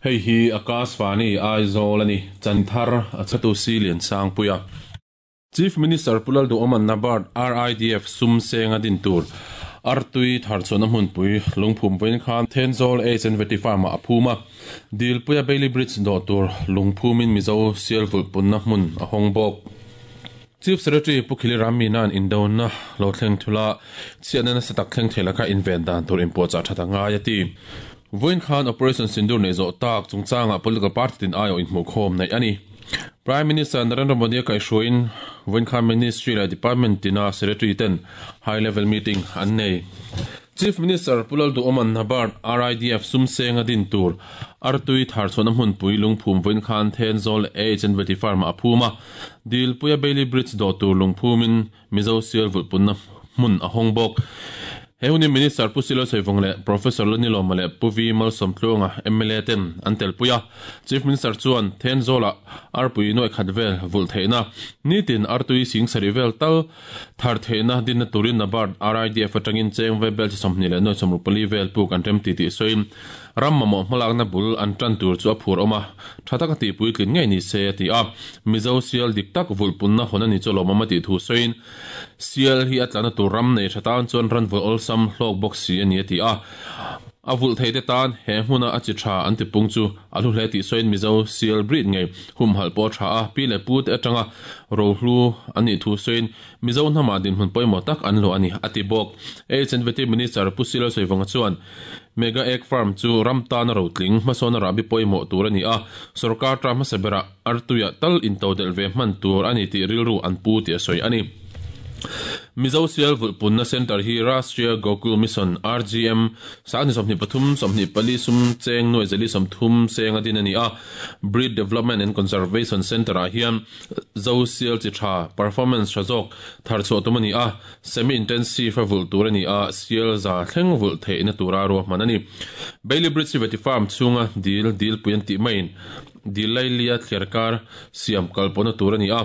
Hei hi Akashvani Aizawl a ni, Chanthar a chhatu si Liansangpuia. Chief Minister Pu Lalduhawma'n NABARD RIDF sum seng a din tur Artui tharchhuahna hmunpui lungphum vawiin khan Thenzawl H and Vety Farm-ah a phum a, Dilpuia Bailey Bridge dawh tur lungphumin Mizo sial vulhpunna hmun a hawng bawk. Chief Secretary Pu Khili Rammina'n indona lo thleng thula chhiatna nasa tak thleng thei laka inven dan tur inpuahchah that a ngai a ti. Vawiin khan Operation Sindoor neih zawh tak chungchangah political party tin aiawh inhmuhkhawm neih a ni. Prime Minister Narendra Modi a kaihhruaiin vawiin khan Ministry leh Department tina Secretary ten High Level Meeting an nei. Chief Minister Pu Lalduhawma'n NABARD RIDF sum senga din tur Artui tharchhuahna hmunpui lungphum vawiin khan Thenzawl H&Vety Farm-ah a phum a, Dilpuia Bailey Bridge dawh tur lungphumin Mizo sial vulhpunna hmun a hawng bawk. He hunin Minister Pu Silo Saivung leh Professor Lanilawma leh Pu V Malsawmtluanga mla ten an telpui a. Chief Minister chuan Thenzawlah arpui nuai khat vel vulh theihna, nitin artui sing sarih vel tal thar theihna dinna turin NABARD RIDF atangin cheng ve bel chi 29 60 vel puk an rem ti tih sawiin Ram mamawh hmalakna bul an tan tur chu a phur awm a, tha taka tih puitlin ngei ni se a ti a. Mizo sial dik tak vulhpunna hawn a ni chu lawmawm a tih thu sawiin, Sial hi a tlana tur ram nei tha tan chuan ran vulh awlsam hlawk bawk si a ni a ti a. A vulh theite tan he hmuna a chi tha an tipung chu a hlu hle tih sawiin Mizo sial breed ngei humhalh pawh a tha a, pi leh pute atanga rohlu an nih thu sawiin Mizo hnamah dinhmun pawimawh tak an luah a ni, a ti bawk. HNVT Minister Pu Silo Sawivawnga chuan, Mega Egg Farm chu ram tana rotling, hmasawn a rahbi pawimawh tur a ni a, sorkar ta hmasa berah artuiah tal intodelh ve hman tur a ni tih rilru an pu tih a sawi a ni. Mizo Sial Vulhpunna Centre hi Rashtriya Gokul Mission, RGM, Sangni 23, 24 sum cheng nuai zali 30 seng a din a ni a, Breed Development and Conservation Centre-ah hian Zo sial chi tha, performance tha zawk thar chhuah tum a ni a, semi-intensive a vulh tur a ni a, sial za thleng vulh theihna tura ruahman a ni. Bailey Bridge hi Veti Farm chhunga dil, dilpui an tih maiin dil lailia thliar kar siam kalpawhna tur a ni a,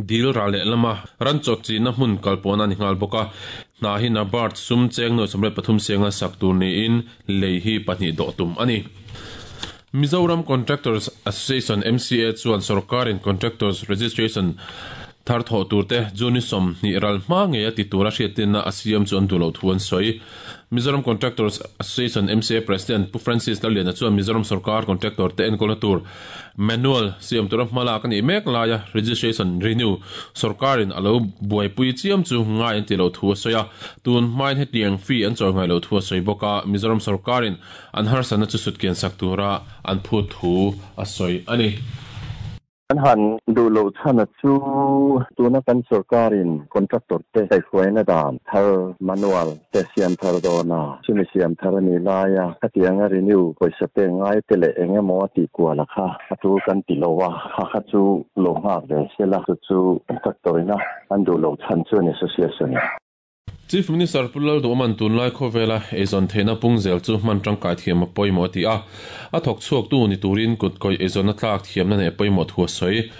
dil ral leh lama ran chawt chihna hmun kalpawhna a ni nghal bawk a. Hna hi Nabard sum cheng nuai 83 senga sak tur niin lei hi pahnih dawh tum a ni. Mizoram Contractors Association, MCA, chuan sorkarin Contractors Registration thar thawh turte June 20 ral hma ngei a ti tura hriattinna a siam chu an duh loh thu an sawi. Mizoram Contractors Association, MCA, President Pu Francis Lalliana chuan Mizoram sorkar contractor te enkawlna tur manual siam tura hmalak a nih mek laia registration renew sorkarin a lo buaipui chiam chu ngai an tih loh thu a sawi a. Tun hmain hetiang fee an chawi ngai loh thu a sawi bawk a, Mizoram sorkarin An harsatna chu sutkian sak tura an phut thu a sawi a ni. Kan han duh loh chhana chu tuna kan sorkarin contractor te kaihhruaina dan thar manual te siam thar dawn a, chumi siam thar a nih laia khatianga renew pawisa pek ngai te leh eng emaw a tih kual a kha a tul kan ti lo a, kha kha chu lo nghak ve sela chu chu contractor ina an duh loh chhan chu an association in. Chief Minister Pu Lalduhawma'n tunlai khawvela eizawn theihna pung zel chu hman tangkai thiam a pawimawh a ti a, a thawk chhuaktu ni turin kut kawih eizawnna tlak thiamna neih a pawimawh thu a sawi.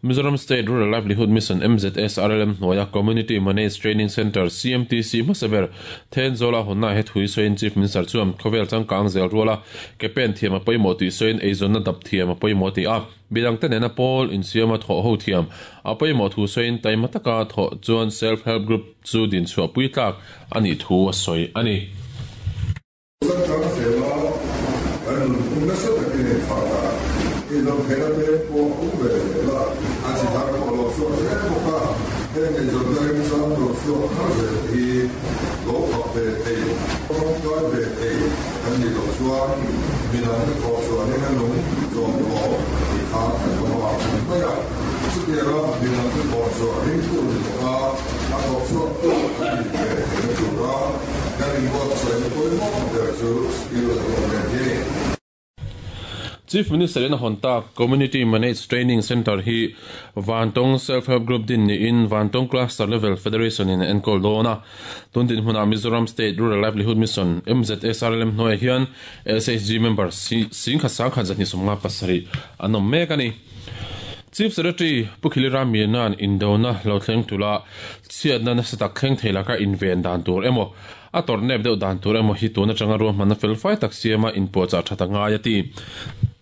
Mizoram State Rural Livelihood Mission, MZSRLM, hnuaia Community Managed Training Centre, CMTC, hmasa ber Thenzawla hawnna he thu hi sawiin Chief Minister chuan khawvel changkang zel ruala ke pen thiam a pawimawh tih sawiin eizawnna dap thiam a pawimawh a ti a. Midangte nena pawl insiama thawh ho thiam a pawimawh thu sawiin taima taka thawh chuan Self Help Group chu dinchhuah pui tlak a nih thu a sawi a ni. Changkang zela kan nunphung nasa takin a inthlak a, inzawmtheihna te pawh a awm ve zel a, a chi thar pawh a lo chhuak zel bawk a, heng eizawnna remchang lo chhuak thar zel te hi lo fak ve thei, tawngtai ve thei kan nih loh chuan midangte thawh chuanin a nung zawm tawh tih kha kan awm a mai a. Chutianga midangte thawh chhuah ringtu ni bawka a thawk chhuaktu kan nih ve theihna tura kan inbuatsaihna pawimawh ber chu skill development hi a ni. Chief Minister in a hawn tak Community Managed Training Centre hi Vantawng Self Help Group din niin Vantawng Cluster Level Federation in a enkawl dawn a. Tun dinhmunah Mizoram State Rural Livelihood Mission, MZSRLM, hnuaiah hian SHG member singkhat sangkhat 257 an awm mek a ni. Chief Secretary Pu Khili Ramliana'n indona lo thleng tula chhiatna nasa tak thleng thei laka inven dan tur emaw A tawrh nep deuh dan tur emaw hi tun atanga ruahmanna fel fai tak siama inpuahchah that a ngai a ti.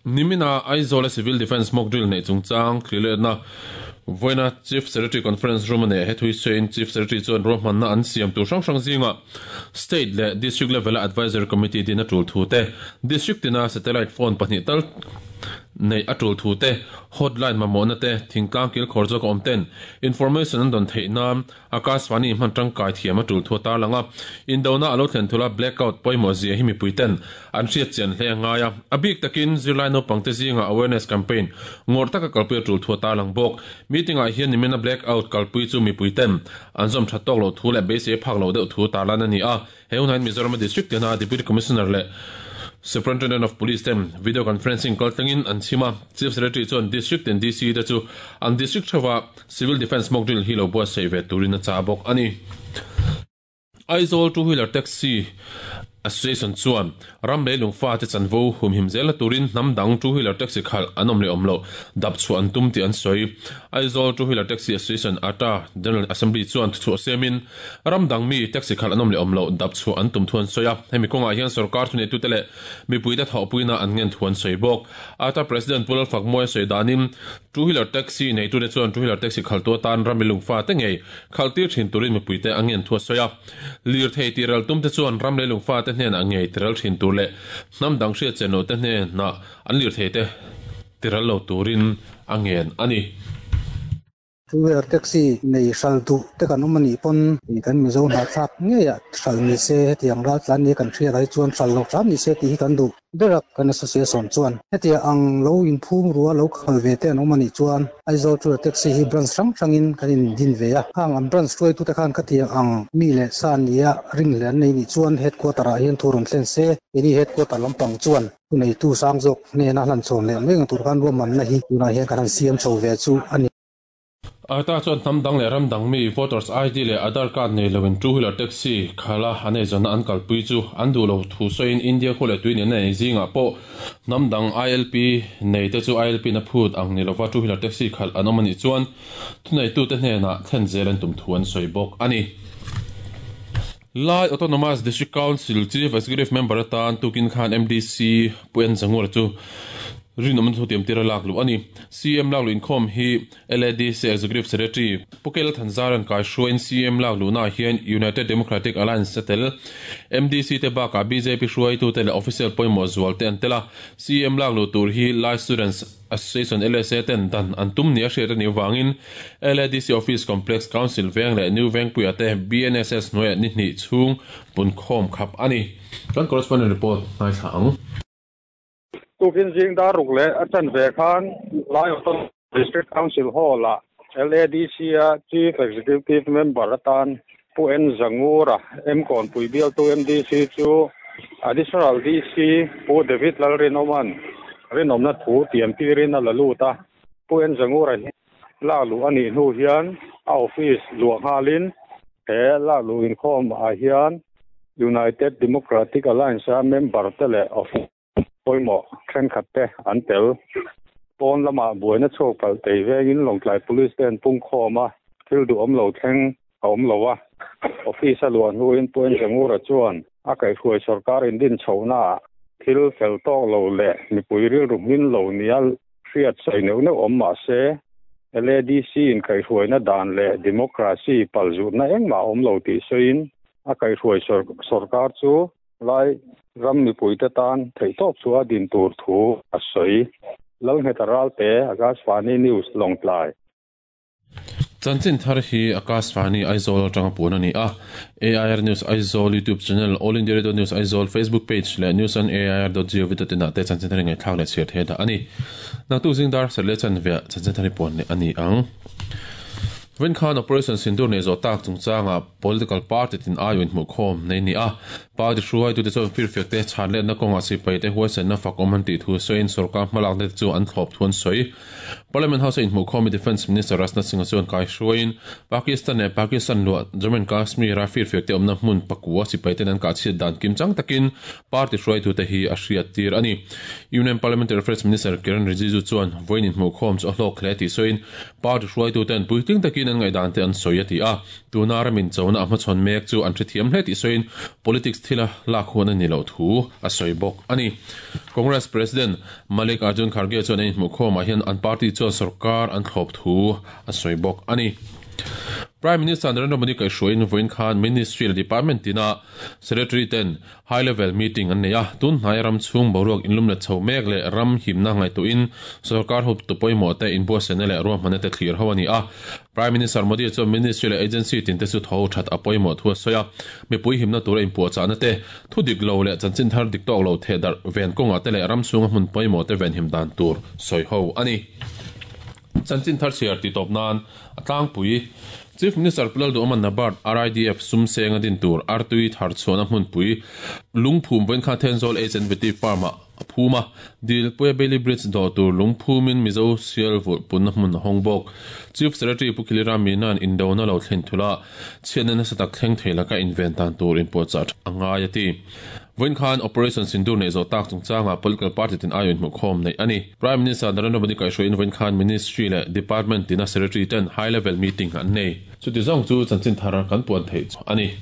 Nimina Aizawl Civil Defence mock drill nei chungchang thliletna Voina Chief Secretary Conference Room ane hethui sein Chief Secretary chuan ruahmanna an siam tur hrang hrang zinga State leh District level a Advisory Committee din a tul thu te, District tina Satellite Phone pahnih tal nei a tul thu te, Hotline mamawhna te, thingtlang kilkhawr zawk a awm ten information an dawn theih nan Akashvani hman tangkai thiam a tul thu a tarlang a, indona a lo thlen thul a blackout pawimawh zia hi mipui ten an hriat chian hle a ngai a, a bik takin zirlai naupangte zingah awareness campaign ngawrh taka kalpui a tul thu a tarlang bawk. Meeting ah hian nimina blackout kalpui chu mipui ten an zawm that tawk loh thu leh beisei a phak loh deuh thu tarlan a ni a, he hunah hian Mizoram-a District tina Deputy Commissioner leh Superintendent of Police ten video conferencing kaltlangin an chhim a, Chief Secretary chuan District tin DC te chu an District theuha Civil Defence mock drill hi lo buatsaih ve turin a chah bawk a ni. Aizawl Two Wheeler Taxi Association chuan ram leilung fate chanvo humhim zela turin hnam dang Two Wheeler Taxi khalh an awm leh awm loh dap chhuah an tum tih an sawi. Aizawl Two Wheeler Taxi Association, ata, General Assembly chuan thuchhuah siamin ram dang mi taxi khalh an awm leh awm loh dap chhuah an tum thu an sawi a. Hemi kawngah hian sorkar thuneitute leh mipuite thawhpuina an ngen thu an sawi bawk. Ata President Pu Lalfakmuai sawi danin Two Wheeler Taxi neitute chuan Two Wheeler Taxi khalhtu atan ram lungfa te ngei khalhtir thin turin mipuite a ngen thu a sawi a. Lirthei tihral tumte chuan ram lei lungfa te hnenah ngei tiral thin tur leh hnam dang hriat chen loh te hnenah an lirthei te tiral lo turin a ngen a ni. Two wheeler taxi nei hral duh te kan awm a nih pawn kan Mizo hnahthlak ngeiah hral ni se hetiang raltlan nia kan hriat ah hi chuan hral lo hram ni se tih hi kan duh ber a. Kan association chuan hetiang ang lo inphum rua lo khal ve te an awm a nih chuan Aizawl two wheeler taxi hi branch hrang hrangin kan in din ve a. Khang an branch hruaitute khan khatiang ang mi leh sa nia ringhleh an nei nih chuan headquarter ah hian thu rawn thlen se keini headquarter lampang chuan Thuneitu sang zawk hnena hlan chhawn leh mai ang tur khan ruahmanna hi tunah hian kan han siam chho ve chu a ni. Arta chuan hnam dang leh ram dang mi voters ID leh Aadhaar card nei loin two wheeler taxi khala an eizawnna an kalpui chu an duh lo thu sawiin India khua leh tui nena nei zingah pawh hnam dang ILP nei te chu ILP na phut ang ni lova two wheeler taxi khalh an awm a nih chuan thuneitute hnenah thlen zel an tum thu an sawi bawk a ni. Lai Autonomous District Council Chief Executive Member atan tukin khan MDC Pu En Zangura chu rinawmna thutiam tir a lak luh a ni. CM lak luh inkhawm hi LADC Executive Secretary Pu Kela Thanzaran kaihruaiin CM lak luhnaah hian United Democratic Alliance a tel. MDC te bakah bjp hruaitute leh official pawimawh zual te an tel a. CM lak luh tur hi Lai Students Association, LSA, ten dan an tum nia hriat a nih avangin LADC Office Complex Council Veng leh New Vengpuia te BNSS hnuaiah ni hnih chhung punkhawm khap a ni. Kan correspondent report ngaithla ang. Tukin zing dar ruk leh a chan ve khan Lai Autonomous District Council Hall-ah LADC-a Chief Executive Member atan Pu N Zangura, Mkawnpui bialtu MDC chu Additional DC Pu David Lalrinawma'n rinawmna thu tiam tirin a la lut a. Pu N Zangura hi lak luh a nih hnu hian a office luah nghalin he lak luh inkhawm ah hian United Democratic Alliance-a member te leh office pawimawh thenkhat te an tel. Pawn lamah buaina chhuak palh tei vengin Lawngtlai Police te an pung khawm a, thil duhawm lo thleng a awm lo a. Office a luah hnuin Pu Enzengura chuan a kaihhruai sawrkar indin chhohnaah thil fel tawk lo leh mipui rilru hmin lo nia hriat sawi neuh neuh awm mah se, LADC in kaihhruaina dan leh democracy palzutna engmah a awm lo tih sawiin a kaihhruai sawrkar chu Lai ram mipuite tan theihtawp chu a din tur thu a sawi. Lalngheta Ralte, Akashvani News, Lawngtlai. Chanchin thar hi Akashvani Aizawl atanga puan a ni a. AIR News Aizawl YouTube channel, All India Radio News Aizawl Facebook page leh news on air dot gov dot in ah te chanchin thar hi ngaihthlak leh chhiar thei dah a ni. Naktuk zing dar serh leh chanveah chanchin thar hi puan leh a ni ang. Vawiin khan Operation Sindoor nei zawh tak chungchangah Political party tin aiawh inhmuhkhawm nei ni a, party hruaitute chuan firfiak te chhan letna kawngah sipai te huaisenna fak awm an tih thu sawiin sorkar hmalakna te chu an thlawp thu an sawi. Parliament House a inhmuhkhawm Defence Minister Rajnath Singh-a chuan kaihruaiin Pakistan leh Pakistan luah Jammu and Kashmir-a firfiakte awmna hmun pakua sipaiten an kahchhiat dan kimchang takin party hruaitute hi a hriattir a ni. Union Parliamentary Affairs Minister Kiren Rijiju chuan vawiin inhmuhkhawm chu a hlawk hle tih sawiin party hruaituten puitling takin an ngaihdan te an sawi a ti a. Tuna ramin chona a hmachhawn mek chu an hrethiam hle tih sawiin politics thila lak huan a ni loh thu a sawi bawk a ni. Congress President Mallikarjun Kharge chuan an inhmuhkhawmah hian an party chuan sorkar an thlawp thu a sawi bawk a ni. Prime Minister Narendra Modi kaihhruaiin vawiin khan Ministry leh Department tina Secretary ten High Level Meeting an nei a, tun hnaia ram chhung boruak inlum let chho mek leh ram himna ngaihtuahin sorkar hup tu pawimawh te inbuatsaihna leh ruahmanna te thlir ho a ni a. Prime Minister Modi chuan Ministry leh Agency tinte chu tho that a pawimawh thu a sawi a, mipui himna tura inpuahchahna te, thu dik lo leh chanchin thar dik tawk lo theh darh ven kawngah te leh ram chhunga hmun pawimawh te venhim dan tur sawi ho a ni. Chanchin thar chhiar tih tawp nan a tlangpui. Chief Minister Pu Lalduhawma Nabard RIDF sum seng a din tur artui thar chhuahna hmunpui lungphum vawinkha Thenzawl HNVT Farm-ah a phum a, Dilpuia Bailey Bridge dawh tur lungphumin Mizo sial vulh punna hmun a hawng bawk. Chief Secretary Pu Khilira Mina'n indona lo thlen thula chhiatna nasa tak thleng thei laka inven dan tur inpuahchah a ngai a ti. Vawiin khan Operation Sindoor neih zawh tak chungchangah political party tin aiawh inhmuhkhawm neih a ni. Prime Minister Narendra Modi kaihhruaiin vawiin khan Ministry leh Department tina Secretary ten High Level Meeting an nei. Chuti zawng chu chanchin thar kan puan theih chu a ni.